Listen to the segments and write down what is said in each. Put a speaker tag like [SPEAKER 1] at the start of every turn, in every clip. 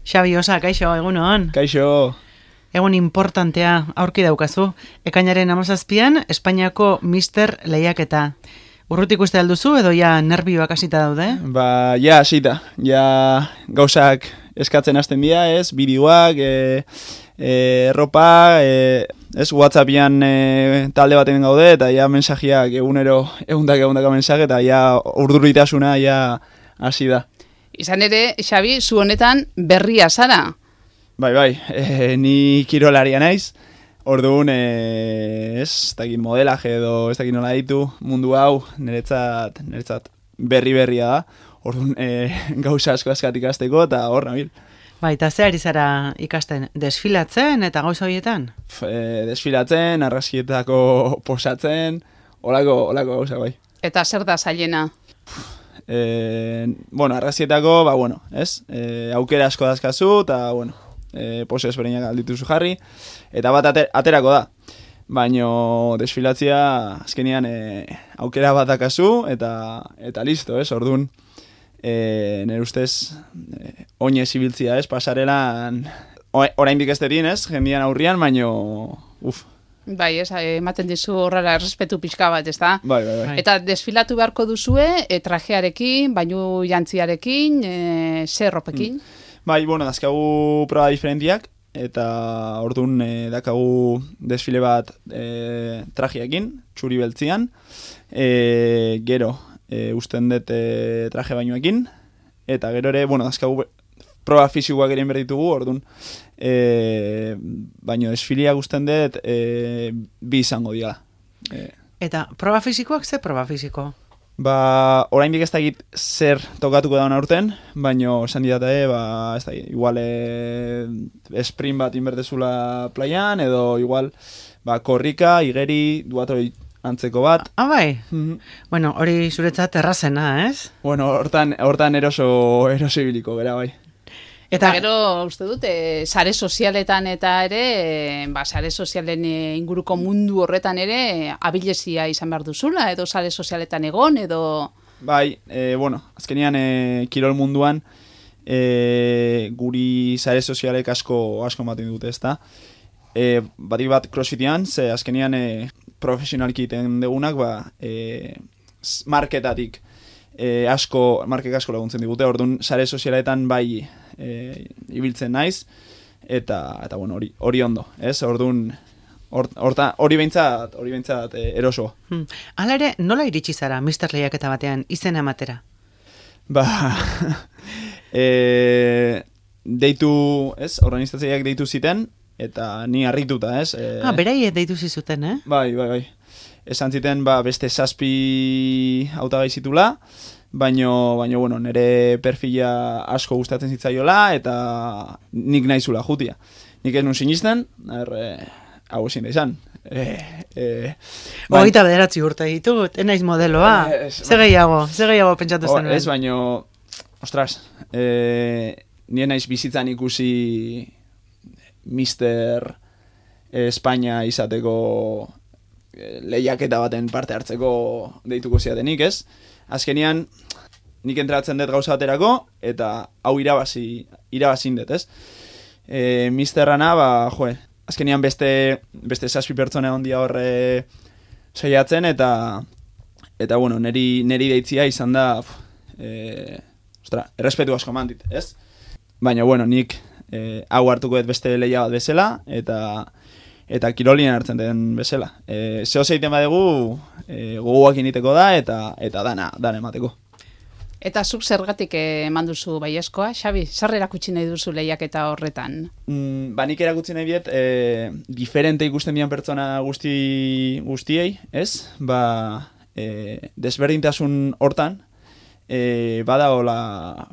[SPEAKER 1] Xabi Osa, kaixo, egunon.
[SPEAKER 2] Kaixo.
[SPEAKER 1] Egun importantea aurki daukazu. Ekainaren 17an Espainiako Mister lehiaketa. Urrutik uste alduzu edo ja nerbioak hasita daude?
[SPEAKER 2] Ba, ja hasita. Ja gauzak eskatzen hasten dira, ez? Bideoak, erropa, ez? WhatsAppian talde baten gaude eta ja mensajiak egunero ehundaka mensaje eta ja urduritasuna ja hasi da.
[SPEAKER 3] Izan ere, Xabi, zu honetan berria zara.
[SPEAKER 2] Bai, ni kirolaria naiz. Orduan, ez dakit modelaje edo ez dakit nola ditu mundu hau niretzat berria da. Orduan, gauza asko ikasteko eta hor nabil.
[SPEAKER 1] Bai, eta ze ari zara ikasten? Desfilatzen eta gauza horietan?
[SPEAKER 2] Desfilatzen, argazkietako posatzen, holako gauza bai.
[SPEAKER 3] Eta zer da zailena?
[SPEAKER 2] Argazkietako, ez? Aukera asko dazkazu, eta, pose ezberdinak aldituzu jarri, eta bat aterako da. Baina desfilatzia azkenean aukera bat dakazu, eta listo, ez? Orduan, nire ustez, oinez ibiltzia, ez? Pasarelan, oraindik ez dedin, ez? Jendian aurrian, baina,
[SPEAKER 3] Bai, ez, ematen dizu horrela errespetu pixka bat, ez da?
[SPEAKER 2] Bai.
[SPEAKER 3] Eta desfilatu beharko duzue, trajearekin, bainu jantziarekin, zer ropekin?
[SPEAKER 2] Bai, dazkagu proba diferentiak, eta orduan dakagu desfile bat trajeekin, txuri beltzian, gero usten dut traje bainuekin, eta gero ere, dazkagu proba fisikoak ere inberditugu, orduan, baino desfilia gusten dut bi izango dira.
[SPEAKER 1] Eta proba fisikoak, ze proba fisiko?
[SPEAKER 2] Oraindik ez dakit zer tokatuko dauna urten, baino esan didate, ez dakit, igual sprint bat inbertezula playan, edo igual korrika, igeri, duatroi antzeko bat.
[SPEAKER 1] Ah, bai? Bueno, hori zuretzat errazena, ez?
[SPEAKER 2] Hortan eroso ibiliko, bera, bai.
[SPEAKER 3] Eta gero, uste dut, sare sozialetan eta ere, sare sozialen inguruko mundu horretan ere, abilezia izan behar duzula, edo sare sozialetan egon, edo...
[SPEAKER 2] Bai, azkenean kirol munduan, guri sare sozialek asko ematen dute, ezta? Batik bat crossfitean, ze azkenean profesionalki egiten degunak, marketatik markek asko laguntzen digute, orduan sare sozialetan bai ibiltzen naiz, eta hori ondo, ez? Orduan, hori behintzat eroso.
[SPEAKER 1] Hala ere, nola iritsi zara Mister lehiaketa batean izena ematera?
[SPEAKER 2] Deitu, ez? Organizatzaileak deitu ziten, eta ni harrituta, ez?
[SPEAKER 1] Beraiek deitu zizuten, eh?
[SPEAKER 2] Bai. Esan ziten, beste 7 hautagai zitula, baino, nire perfila asko gustatzen zitzaiola, eta nik naizula jutia. Nik ez nun sinisten, hau ezin da izan.
[SPEAKER 1] 29 urte ditut, naiz modeloa. Ze gehiago pentsatu zen.
[SPEAKER 2] Ez, baino, ostras, nire naiz bizitzan ikusi Mister Espainia izateko lehiaketa baten parte hartzeko deituko ziatenik, ez? Azkenean, nik entratzen dut gauza baterako, eta hau irabazin dut, ez? Misterrana, azkenean beste 7 pertsona ondia horre saiatzen, eta neri deitzia izan da, errespetu asko mandit, ez? Baina, nik hau hartuko dut beste lehia bat bezala, eta kirolien hartzen den bezala. Zeo zeiten badegu, gogoak initeko da, eta dana emateko.
[SPEAKER 3] Eta zuk zergatik eman duzu baiezkoa, Xabi? Zer erakutsi nahi duzu lehiaketa horretan?
[SPEAKER 2] Nik erakutsi nahi biet, diferente ikusten dian pertsona guztiei, ez? Desberdintasun hortan, badagola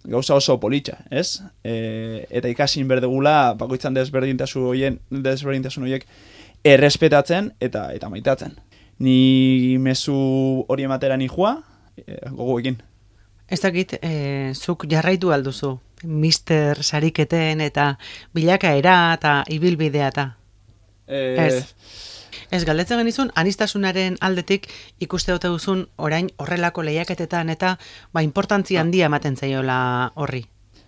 [SPEAKER 2] gauza oso politxa, ez? Eta ikasin berdegula, bakoitzan desberdintasun horiek errespetatzen eta maitatzen. Ni mezu hori ematera nijua, gogoekin.
[SPEAKER 1] Ez dakit, zuk jarraitu alduzu, Mister sariketen eta bilakaera eta ibilbidea eta. Ez, galdetzen genizun, anistasunaren aldetik ikuste dute duzun orain horrelako lehiaketetan eta importantzia handia ematen zaiola horri.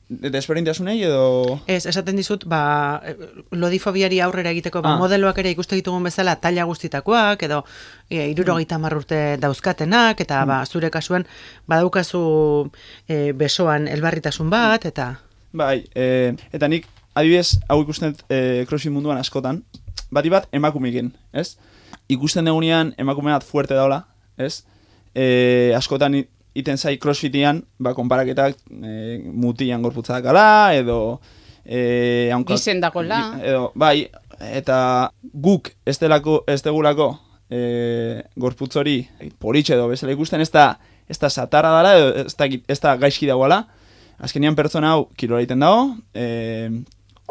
[SPEAKER 2] desberdintasunei edo...
[SPEAKER 1] Ez, esaten dizut, lodifobiari aurrera egiteko, modeloak ere ikuste ditugun bezala taila guztitakoak, edo 70 urte dauzkatenak, eta zure kasuen badaukazu besoan elbarritasun bat, eta...
[SPEAKER 2] Bai, eta nik adibidez hau ikusten crossfit munduan askotan, bati bat emakumeekin, ez? Ikusten dugunean emakume bat fuerte daula, ez? Askotan iten zai crossfitian, konparaketak mutian gorputza dakala, edo...
[SPEAKER 3] Gizen dagoela.
[SPEAKER 2] Edo, bai, eta guk ez degulako gorputz hori politxe edo bezala ikusten, ez da satarra dela, edo ez da gaizki dagoela. Azkenean pertsona hau kirola egiten dago,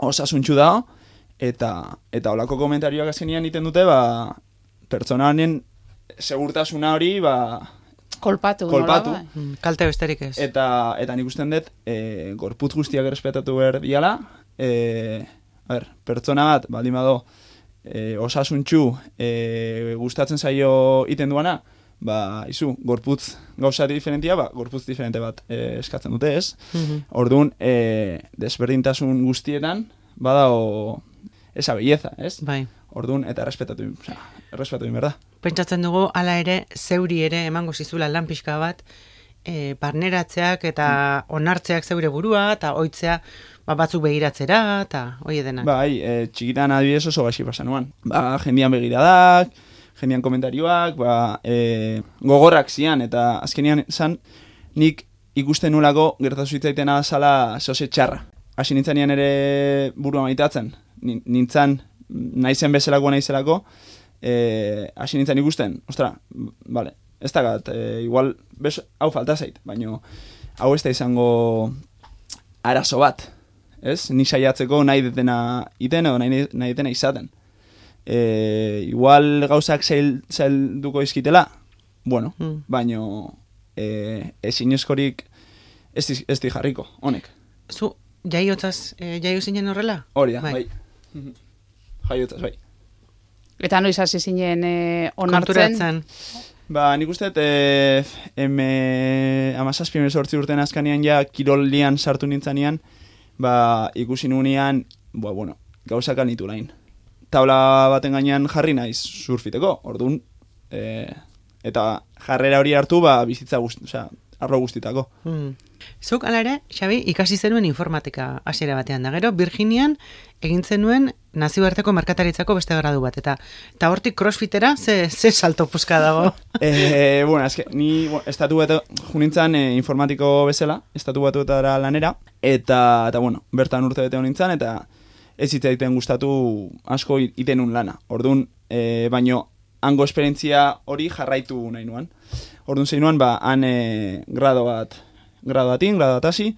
[SPEAKER 2] osasuntxu dago, eta holako komentarioak azkenean egiten dute, pertsona honen segurtasuna hori,
[SPEAKER 3] kolpatu.
[SPEAKER 1] Kalte besterik ez.
[SPEAKER 2] Eta nik usten dut, gorputz guztiak errespetatu behar diala, pertsona bat, baldin bado, osasuntxu gustatzen zaio iten duana, izu, gorputz gauza diferentia, gorputz diferente bat eskatzen dute, ez? Orduan, desberdintasun guztietan, badao esa belleza, ez?
[SPEAKER 1] Bai.
[SPEAKER 2] Orduan, eta errespetatu berda.
[SPEAKER 1] Pentsatzen dugu, hala ere, zeuri ere emango zizula lan pixka bat, barneratzeak eta onartzeak zeure burua, eta oitzea batzuk begiratzera, eta hoi edenak.
[SPEAKER 2] Bai, txikitan adibidez oso gaixi pasan nuan. Jendian begiradak, jendian komentarioak, gogorrak zian, eta azkenean zan, nik ikusten nulako gertazu hitzaitena zala zose txarra. Hasi nintzanean ere burua maitatzen, nintzan naizen bezalakoa naizelako, hasi nintzen ikusten, vale, ez dakat, igual, hau falta zait, baina hau ez da izango arazo bat, ez? Ni saiatzeko nahi detena iten edo nahi detena izaten. Igual gauzak zailduko izkitela, bueno, baina ezin eskorik ez di jarriko, honek.
[SPEAKER 1] Zu, jaio zinen horrela?
[SPEAKER 2] Hori da, bai. Jaiotzaz, bai.
[SPEAKER 3] Eta noiz hasi zinen onartzen?
[SPEAKER 2] Nik uste, 17-18 urtean azkanean ja kirolian sartu nintzanean, ikusi nunean, gauzak alnitu lain. Tabla baten gainean jarri naiz surfiteko, orduan, eta jarrera hori hartu, bizitza arlo guztitako.
[SPEAKER 1] Zuk, ala ere, Xabi, ikasi zenuen informatika hasiera batean da. Gero, Virginian egin zenuen nazioarteko merkataritzako beste gradu bat. Eta hortik crossfitera, ze salto puska dago?
[SPEAKER 2] Ni estatu bat junintzan informatiko bezala, estatu batuetara lanera, eta bertan urte bete honintzan, eta ez hitzaiten gustatu asko itenun lana. Orduan, baino, hango esperientzia hori jarraitu nahi nuan. Orduan zein nuan, han grado bat hasi,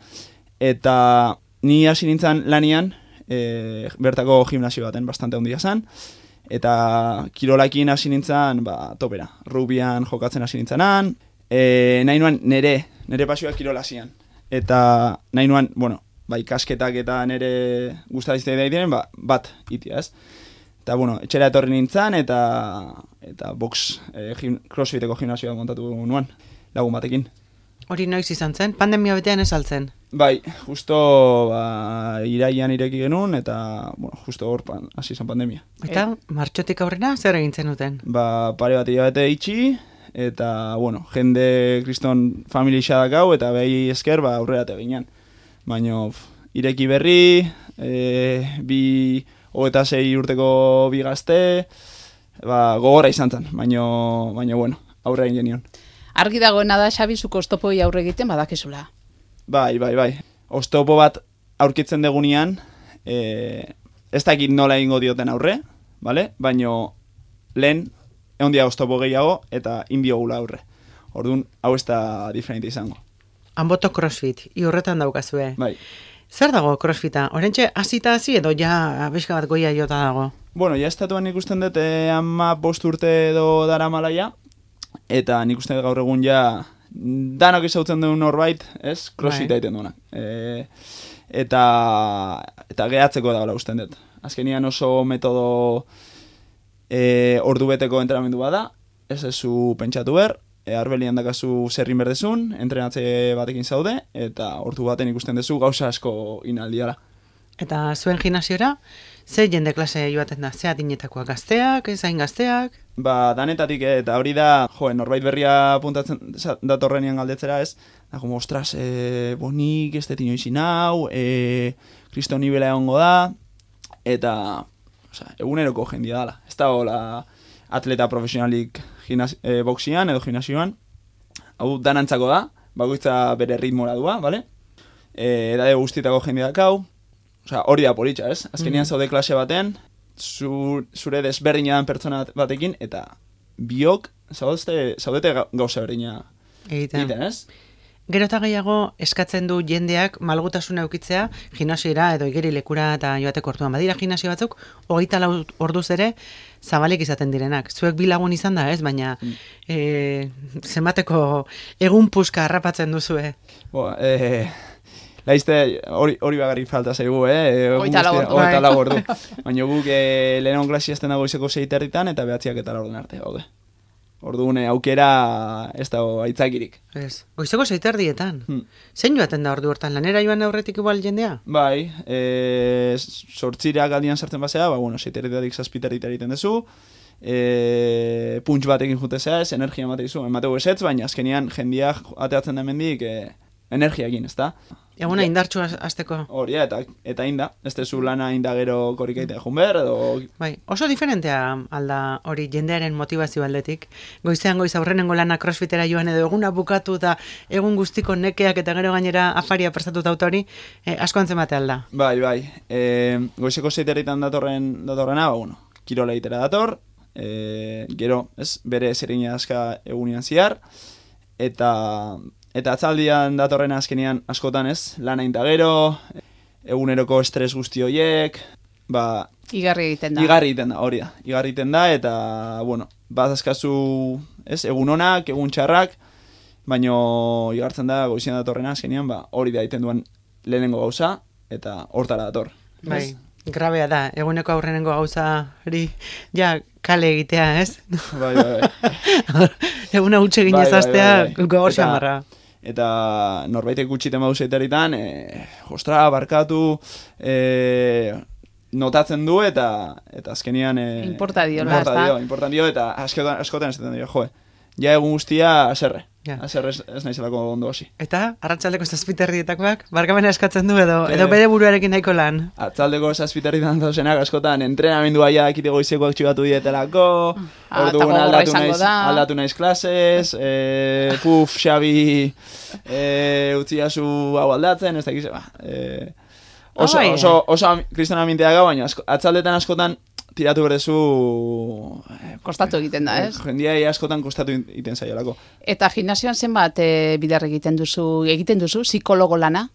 [SPEAKER 2] eta ni hasi nintzen lanian, bertako gimnasio baten bastante handia zen, eta kirolakin hasi nintzen, topera, rugbian jokatzen hasi nintzenan, nahi nuan nere pasioak kirola zian, eta nahi nuan, ikasketak eta nere gustadizte daitenen, bat itia, ez? Eta, etxera etorri nintzen, eta box crossfiteko gimnasioa montatu nuan, lagun batekin.
[SPEAKER 1] Hori noiz izan zen? Pandemia betean ez altzen?
[SPEAKER 2] Bai, justo iraian ireki genuen, eta justo hor hasi zen pandemia.
[SPEAKER 1] Eta martxotik aurrera zer egintzen duten?
[SPEAKER 2] Pare bat hilabete itxi, eta jende kriston famili xadakau, eta behi esker aurrera teginan. Baina ireki berri, 26 urteko bi gazte, gogorra izan zen, baina aurrera egin genion.
[SPEAKER 3] Argi dagoena da, Xabi, zuko oztopoi aurre egiten badakizula.
[SPEAKER 2] Bai. Oztopo bat aurkitzen degunean, ez dakit nola egingo dioten aurre, vale? Baina lehen, egon dia oztopo gehiago, eta indiogula aurre. Orduan, hau ez da diferente izango.
[SPEAKER 1] Anboto crossfit, horretan daukazue.
[SPEAKER 2] Bai.
[SPEAKER 1] Zer dago crossfita? Orentxe, hasita hasi edo ja bezka bat goia jota dago?
[SPEAKER 2] Ja estatuan ikusten dut 15 urte edo dara malaia, eta nik uste gaur egun ja danok izautzen duen norbait, ez? Crossfita egiten duena. Eta gehatzeko dagoela usten dut. Azkenian oso metodo ordu beteko entrenamendu bada, ez zu pentsatu behar, arbelian dakazu zerrin berdezun, entrenatze batekin zaude, eta ordu baten ikusten duzu gauza asko inaldiala.
[SPEAKER 1] Eta zuen gimnasiora, ze jende klase joaten da? Ze adinetakoak, gazteak, ez hain gazteak?
[SPEAKER 2] Ba, danetatik, eta hori da, norbait berria puntatzen datorrenean galdetzera ez, da, como, ostras, bonik ez deti noizin hau, kristo nibela egongo da, eta, eguneroko jendia dala. Ez da, hola, atleta profesionalik boxian edo gimnasioan, hau danantzako da, bakoitza bere ritmora dua, bale? Edade guztietako jendia dakau, hori da politxa, ez? Azkenean zaude klase baten, zure desberdina dan pertsona batekin, eta biok zaudete gauza berdina egiten, ez?
[SPEAKER 1] Gero eta gehiago eskatzen du jendeak malgutasuna eukitzea gimnasiora edo igerilekura eta joateko orduan. Badira gimnasio batzuk, 24 orduz ere zabalik izaten direnak. Zuek bi lagun izan da, ez? Baina zenbateko egun puska harrapatzen duzue.
[SPEAKER 2] Laizte, hori bagarrik falta zaigu,
[SPEAKER 3] Oita lau
[SPEAKER 2] ordu. Baina guk lehenon klasi azten dago izeko 6:30 eta 9:00 arte, gaude. Orduan aukera ez dago aitzakirik.
[SPEAKER 1] Ez, goizeko 6:30. Zein joaten da ordu hortan, lanera joan aurretik igual jendea?
[SPEAKER 2] Bai, 8:00 aldian sartzen basea, 6:30 7:00 egiten dezu, punts batekin jutezea ez, energia ematekizu, emategu esetz, baina azkenian jendeak ateatzen da mendik energiakin, ez da?
[SPEAKER 1] Eguna indartxu azteko.
[SPEAKER 2] Hori, eta inda. Ez tezu lana inda gero korikaitea junber, edo...
[SPEAKER 1] Bai, oso diferentea alda hori jendearen motivazio aldetik. Goizean goiz aurrenengo lana crossfitera joan edo eguna bukatu eta egun guztiko nekeak eta gero gainera afaria prestatuta hori, asko antzemate alda.
[SPEAKER 2] Bai. Goizeko 7:00 datorrena, kirola egitera dator, gero, ez, bere zerina aska egunian ziar, Eta atzaldian datorren azkenean askotan ez, lana inda gero, eguneroko estres guzti horiek,
[SPEAKER 3] Igarri egiten da.
[SPEAKER 2] Hori da. Igarri egiten da, eta, bat azkazu, ez, egun onak, egun txarrak, baino igartzen da goizian datorren azkenean, hori da egiten duen lehenengo gauza, eta hortara dator.
[SPEAKER 1] Bai, grabea da, eguneko aurrenengo gauza hori, kale egitea, ez?
[SPEAKER 2] Bai.
[SPEAKER 1] Eguna utxe ginez aztea, gogor xamarra.
[SPEAKER 2] Eta norbaitek gutxiten bauzeitaritan, ostra, barkatu, notatzen du, eta azkenian...
[SPEAKER 3] Importa dio,
[SPEAKER 2] eta askotan ez dio, ja egun guztia aserre. Aserre ez naizelako ondo hasi.
[SPEAKER 1] Eta, arratsaldeko 7:00 barkamena eskatzen du edo bere buruarekin nahiko lan?
[SPEAKER 2] Atzaldeko 7:00 dauzenak askotan entrenamendua ja dakite goizekoak txibatu dietelako, orduan aldatu naiz klases, Xabi, utziazu hau aldatzen, ez dakize, oso kristona gau, baina atzaldetan askotan tiratu berdezu...
[SPEAKER 3] Kostatu egiten da, ez?
[SPEAKER 2] Jendia askotan kostatu egiten zaiolako.
[SPEAKER 3] Eta gimnasioan zenbat bidar egiten duzu, psikologo lana?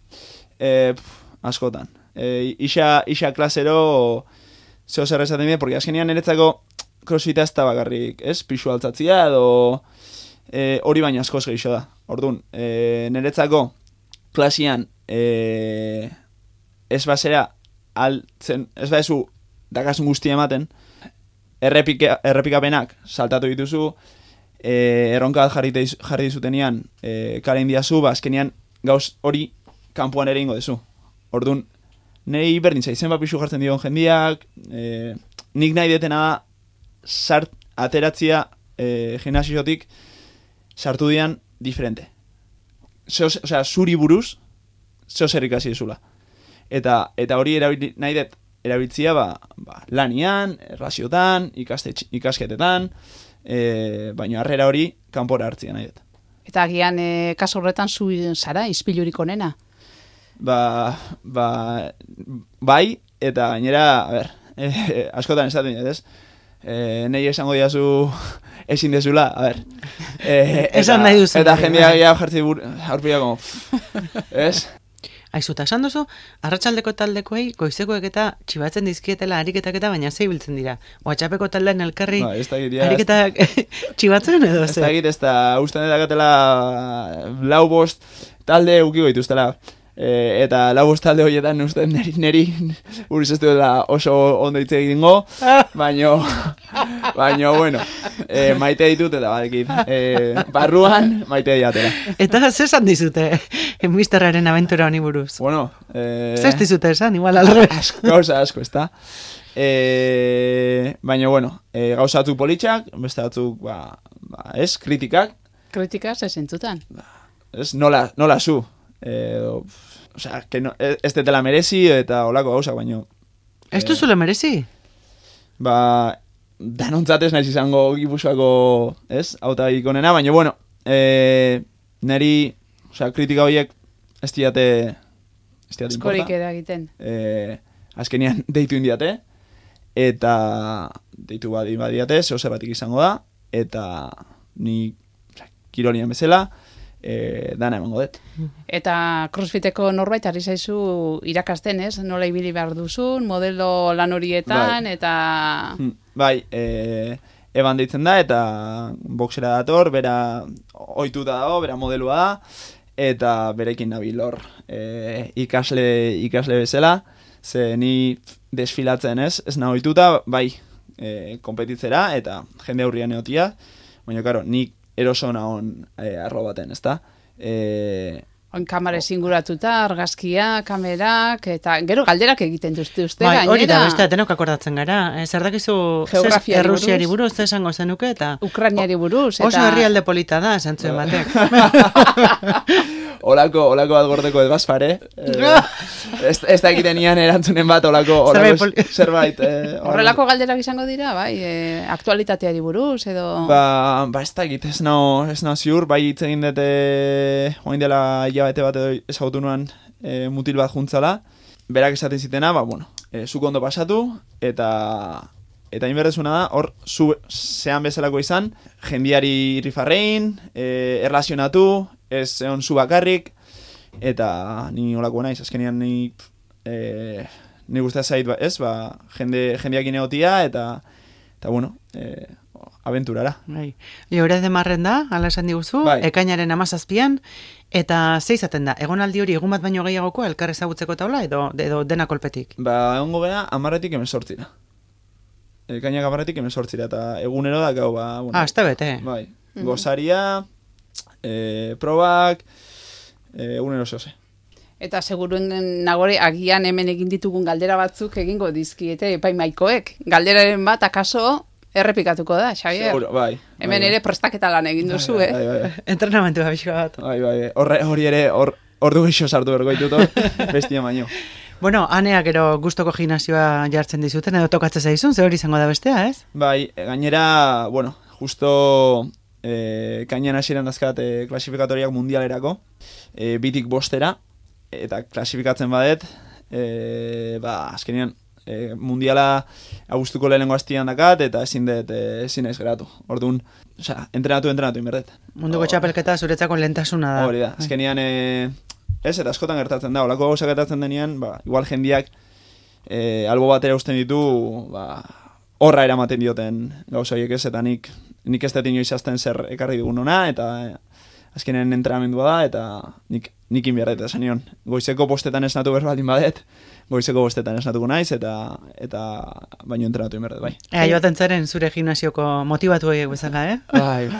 [SPEAKER 2] Askotan. Isa klasero zeo zer esaten dira, porque azkenean niretzako crossfita ez da bakarrik, ez? Pixu altzatzia edo hori baina askoz geixo da. Orduan, niretzako klasian ez basera altzen, ez badezu dakasun guztia ematen, errepikapenak saltatu dituzu, erronka bat jarri dizutenian, karen diazu, azkenian gauz hori kanpoan ere ingo dezu. Orduan, nahi berdin zaizen pixu jartzen dion jendiak, nik nahi detena da ateratzia gimnasiotik sartu dian diferente. Zuri buruz, zeo zer ikasi dizula. Eta hori nahi det erabiltzia lanian, erlaziotan, ikasketetan, baina harrera hori kanpora hartzia nahi dut.
[SPEAKER 3] Eta agian kaso horretan zu zara, izpilurik onena?
[SPEAKER 2] Bai, eta gainera, askotan esaten dut, ez? Nei esango diazu ezin dezula,
[SPEAKER 1] Esan nahi duzu.
[SPEAKER 2] Eta jendeak jartzi aurpila, ez?
[SPEAKER 1] Aizuta, esan duzu, arratsaldeko taldekoei goizekoek eta txibatzen dizkietela ariketak eta baina zei biltzen dira. WhatsAppeko taldean elkarri ariketak txibatzen edo ze?
[SPEAKER 2] Ez da usten edakatela 4-5 talde ukiko dituztela. Eta lau bostalde horietan uste neri buruz ez duela oso ondo hitz egingo, baino bueno, maite ditut eta badekit, barruan maite diatela.
[SPEAKER 1] Eta zer esan dizute misterraren abentura honi buruz?
[SPEAKER 2] Bueno,
[SPEAKER 1] zer dizute esan, igual alrebez.
[SPEAKER 2] Gauza asko, ezta? Baina, bueno, gauza batzuk politxak, beste batzuk, ez, kritikak.
[SPEAKER 3] Kritika ze zentzutan?
[SPEAKER 2] Ez, nola zu. Osea, que no, ez detela merezi eta olako gauzak, baino.
[SPEAKER 1] Ez duzule merezi?
[SPEAKER 2] Danontzat ez naiz izango Gipuzkoako, ez, hautagai onena, baina, bueno, neri, osea, kritika horiek ez diate importa.
[SPEAKER 3] Eskorik eragiten.
[SPEAKER 2] Azkenian deitu indiate, eta deitu badiate, zeo zer batik izango da, eta ni kirolian bezala, dana emango dut.
[SPEAKER 3] Eta crossfiteko norbait ari zaizu irakasten, ez? Nola ibili behar duzun, modelo lan horietan, eta...
[SPEAKER 2] Bai, eban deitzen da, eta boxera dator, bera ohituta dago, bera modelua da, eta berekin nabil hor ikasle bezala, ze ni desfilatzen ez nahi ohituta, bai, konpetitzera, eta jende aurrian egotia, baina, karo, nik eroso nahon arro baten, ezta?
[SPEAKER 3] Kamera zinguratuta, argazkia, kamerak, eta gero galderak egiten duzte uste
[SPEAKER 1] gainera. Hori da, beste, denok akordatzen gara. Zer dakizu Errusiari buruz, zer esango zenuke, eta...
[SPEAKER 3] Ukrainiari buruz, eta...
[SPEAKER 1] Oso herrialde polita da, esan zuen batek.
[SPEAKER 2] Olako bat gordeko ez bazpare. Ez da egiten ian erantzunen bat, olako zerbait.
[SPEAKER 3] Horrelako galderak izango dira, bai, aktualitateari buruz, edo...
[SPEAKER 2] Ez da egit, ez nao ziur, bai hitz egin dute, oin dela hilabete bat edo ezagutu nuan mutil bat juntzala, berak esaten zitena, bueno, zuk ondo pasatu, eta inberdezuna da, hor, zean bezalako izan, jendiari rifarrein, erlazionatu, ez egon zu bakarrik, eta ni olako naiz, azkenean ni guztia zait, ez, jendeak inegotia, eta bueno, aventurara.
[SPEAKER 1] Bai. Liore de marren da, ala esan diguzu, bai. Ekainaren 17an, eta ze izaten da, egonaldi hori egun bat baino gehiagoko elkar ezagutzeko taula, edo dena kolpetik?
[SPEAKER 2] Egongo gea 10-etik 18. Ekainak 10-etik 18, eta egunero da gau, bueno.
[SPEAKER 1] Azte bete.
[SPEAKER 2] Bai, gozaria, probak, egunero zehose.
[SPEAKER 3] Eta seguruen nagore agian hemen egin ditugun galdera batzuk egingo dizkiete epaimaikoek. Galderaren bat akaso errepikatuko da, Xavier.
[SPEAKER 2] Seguro, bai.
[SPEAKER 3] Hemen ere prestaketa lan egin duzu,
[SPEAKER 2] Bai.
[SPEAKER 1] Entrenamentu abixo bat.
[SPEAKER 2] Bai. Hori ere, ordu gixo sartu bergoituto, bestia baino.
[SPEAKER 1] Bueno, Anea gero gustoko gimnasioa jartzen dizuten, edo tokatzen zaizun, ze hori izango da bestea, ez?
[SPEAKER 2] Bai, gainera, bueno, justo kainan hasieran dazkat klasifikatoriak mundialerako, 2tik 5 eta klasifikatzen badet, azkenean, mundiala agustuko lehenengo hastian dakat, eta ezin ez geratu. Orduan, entrenatu inberdet.
[SPEAKER 1] Munduko txapelketa zuretzako lehentasuna da.
[SPEAKER 2] Hori da, azkenean, ez, eta askotan gertatzen da, olako gauza gertatzen denean, igual jendiak albo batera usten ditu, horra eramaten dioten gauza horiek ez, eta nik ez dut inoiz azten zer ekarri dugun ona, eta azkenen entrenamendua da, eta nik inbiarret, esan nion. Goizeko postetan esnatu berbaldin badet, goizeko postetan esnatuko naiz, eta baino entrenatu inbiarret, bai.
[SPEAKER 1] Joaten zaren zure gimnasioko motibatu horiek bezala,
[SPEAKER 2] Bai.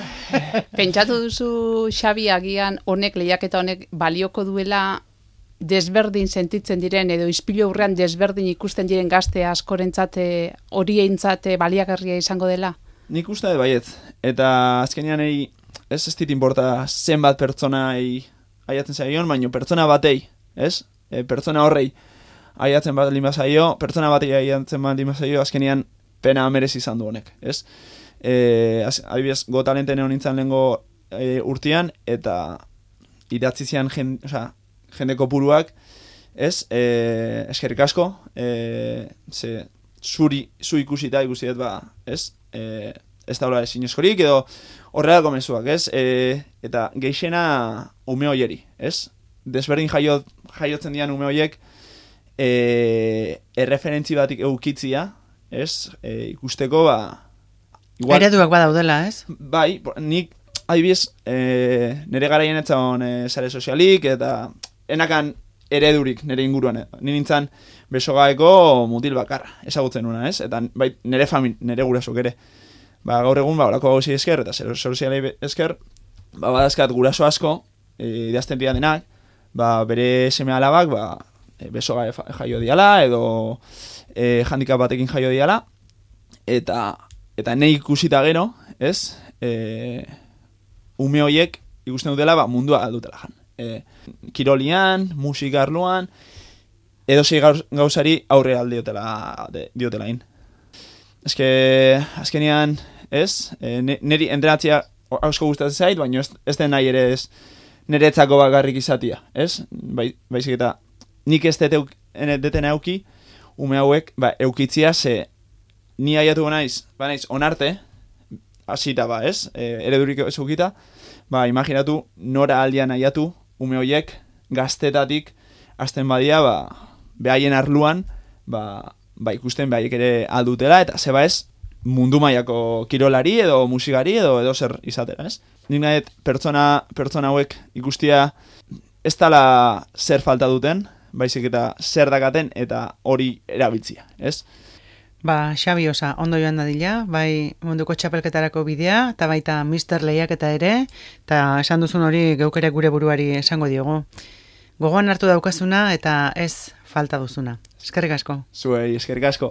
[SPEAKER 3] Pentsatu duzu, Xabi, agian honek, lehiaketa honek balioko duela desberdin sentitzen diren, edo ispilu aurrean desberdin ikusten diren gazte askorentzate, horientzate baliagarria izango dela?
[SPEAKER 2] Nik uste dut baietz, eta azkenean ez dit inporta zenbat pertsona aiatzen zaion, baino pertsona batei, ez? Pertsona horrei aiatzen bat lima zaio, pertsona batei aiatzen bat lima zaio, azkenean pena merezi izan du honek, ez? Adibidez, Got Talenten egon nintzen lehengo urtean, eta idatzi zian jende kopuruak, ez? Eskerrik asko, zu ikusita ikusi dut, ez? Ez daula ezin eskorik, edo horrelako mezuak, ez? Eta geixena ume hoieri, ez? Desberdin jaiotzen dian ume hoiek erreferentzi batik eukitzia, ez? Ikusteko, igual...
[SPEAKER 1] Ereduak badaudela, ez?
[SPEAKER 2] Bai, nik, adibidez, nire garaien etzan sare sozialik, eta enakan eredurik nire inguruan. Ni nintzen Besogaeko mutil bakarra, ezagutzen nuna, ez? Eta bai, nire gurasok ere. Gaur egun, olako gauzi esker, eta sozialei esker, badazkat guraso asko, idazten dira denak, bere seme alabak, Besoga jaio diala, edo handikap batekin jaio diala, eta nahi ikusita gero, ez? Ume horiek ikusten dutela, mundua aldutela jan. Kirolian, musika arloan, edo zei gauzari aurre diotela in. Azkenean, ez? Neri entrenatzea asko gustatzen zait, baina ez den nahi ere ez niretzako bakarrik izatia, ez? Baizik eta nik ez deten euki, ume hauek eukitzia, ze ni aiatu naiz onarte, hasita ez? Eredurik ez eukita, imaginatu nora aldian aiatu, ume horiek gaztetatik hasten badia, behaien arluan, ikusten behaiek ere aldutela, eta zeba ez, mundu mailako kirolari edo musikari edo zer izatera, ez? Nik nahet pertsona hauek ikustia ez dala zer falta duten, baizik eta zer dakaten eta hori erabiltzia, ez?
[SPEAKER 1] Xabi Osa, ondo joan dadila, bai munduko txapelketarako bidea, eta baita Mister Lehiaketa ere, eta esan duzun hori geukere gure buruari esango diogu. Gogoan hartu daukazuna eta ez falta duzuna. Eskerrik asko.
[SPEAKER 2] Zuei, eskerrik asko.